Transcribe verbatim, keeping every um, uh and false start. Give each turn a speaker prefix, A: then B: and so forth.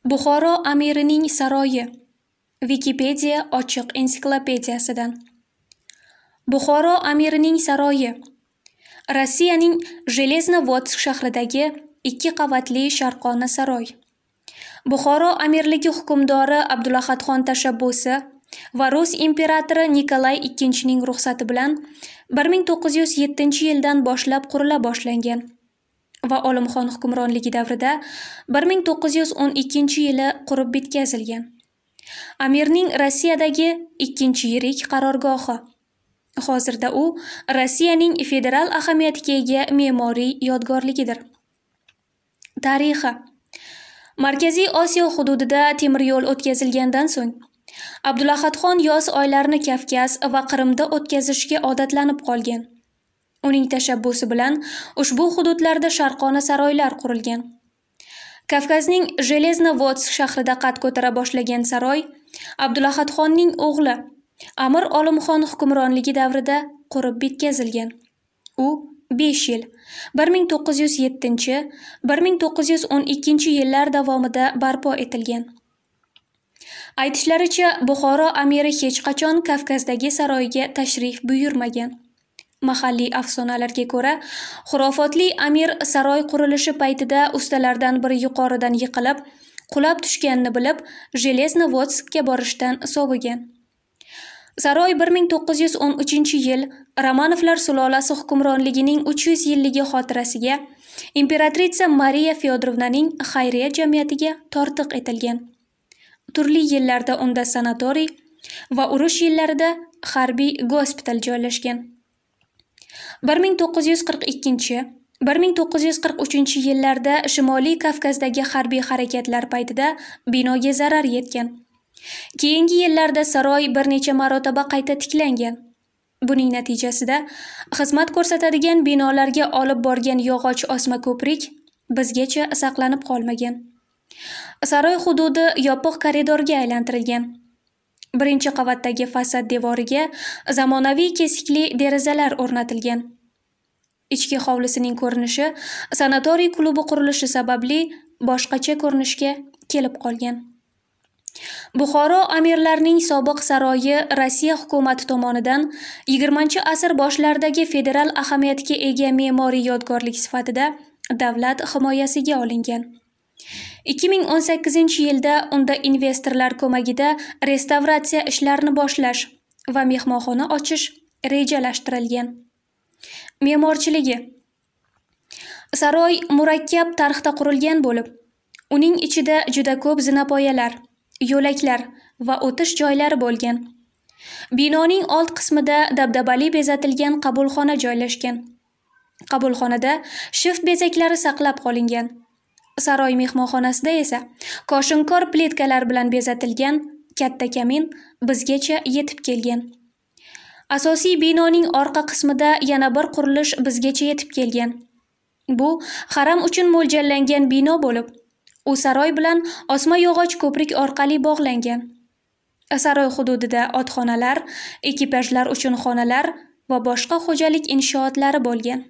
A: Buxoro amirining saroyi. Wikipedia ochiq ensiklopediyasidan. Buxoro amirining saroyi Rossiyaning Jeleznovodsk shahridagi ikki qavatli sharqona saroy. Buxoro amirligi hukmdori Abdulahatxon tashabbusi va rus imperatori Nikolay ikkinchining ruxsati bilan bir ming to'qqiz yuz yettinchi yildan boshlab qurila boshlangan va Olimxon hukmronligi davrida bir ming to'qqiz yuz o'n ikkinchi yili qurib bitkazilgan. Amirning Rossiyadagi ikkinchi yirik qarorgohi. Hozirda u Rossiyaning federal ahamiyatiga ega me'moriy yodgorligidir. Tarixi. Markaziy Osiyo hududida temir yo'l o'tkazilgandan so'ng Abdulahatxon yoz oylarini Kavkaz va Qrimda o'tkazishga odatlanib qolgan. Uning tashabbusi bilan ushbu hududlarda sharqona saroylar qurilgan. Kavkazning Jeleznovodsk shahrida qad ko'tara boshlagan saroy Abdulahatxonning o'g'li Amir Olimxon hukmronligi davrida qurib bitkazilgan. U besh yil, bir ming to'qqiz yuz yettinchi, bir ming to'qqiz yuz o'n ikkinchi yillar davomida barpo etilgan. Aytishlaricha, Buxoro amiri hech qachon Kavkazdagi saroyga tashrif buyurmagan. Mahalliy afsonalarga ko'ra, xurofotli amir saroy qurilishi paytida ustalardan biri yuqoridan yiqilib, qulab tushganini bilib, Jeleznovodskka borishdan sovigan. Saroy bir ming to'qqiz yuz o'n uchinchi yil Romanovlar sulolasi hukmronligining uch yuz yilligi xotirasiga imperatritsa Mariya Fyodorovnaning xayriya jamiyatiga tortiq etilgan. Turli yillarda unda sanatoriy va urush yillarida harbiy gospital joylashgan. bir ming to'qqiz yuz qirq ikkinchi, bir ming to'qqiz yuz qirq uchinchi yillarda Shimoliy Kavkazdagi harbiy harakatlar paytida binoga zarar yetgan. Keyingi yillarda saroy bir necha marotaba qayta tiklangan. Buning natijasida xizmat ko'rsatadigan binolarga olib borgan yog'och osma ko'prik bizgacha saqlanib qolmagan. Saroy hududi yopiq koridorga aylantirilgan. Birinchi qavatdagi fasad devoriga zamonaviy kesikli derazalar o'rnatilgan. Ichki hovlisining ko'rinishi sanatoriy klubi qurilishi sababli boshqacha ko'rinishga kelib qolgan. Buxoro amirlarining sobiq saroyi Rossiya hukumati tomonidan yigirmanchi asr boshlaridagi federal ahamiyatga ega me'moriy yodgorlik sifatida davlat himoyasiga olingan. ikki ming o'n sakkizinchi yilda unda investorlar ko'magida restavratsiya ishlarini boshlash va mehmonxona ochish rejalashtirilgan. Me'morchiligi. Saroy murakkab tarixda qurilgan bo'lib, uning ichida juda ko'p zinapoyalar, yo'laklar va o'tish joylari bo'lgan. Binoning old qismida dabdabali bezatilgan qabulxona joylashgan. Qabulxonada shift bezaklari saqlab qolingan. Saroy mehmonxonasida esa koshinkor plitkalar bilan bezatilgan katta kamin bizgacha yetib kelgan. Asosiy binoning orqa qismida yana bir qurilish bizgacha yetib kelgan. Bu haram uchun mo'ljallangan bino bo'lib, u saroy bilan osma yog'och ko'prik orqali bog'langan. Saroy hududida otxonalar, ekipajlar uchun xonalar va boshqa xo'jalik inshootlari bo'lgan.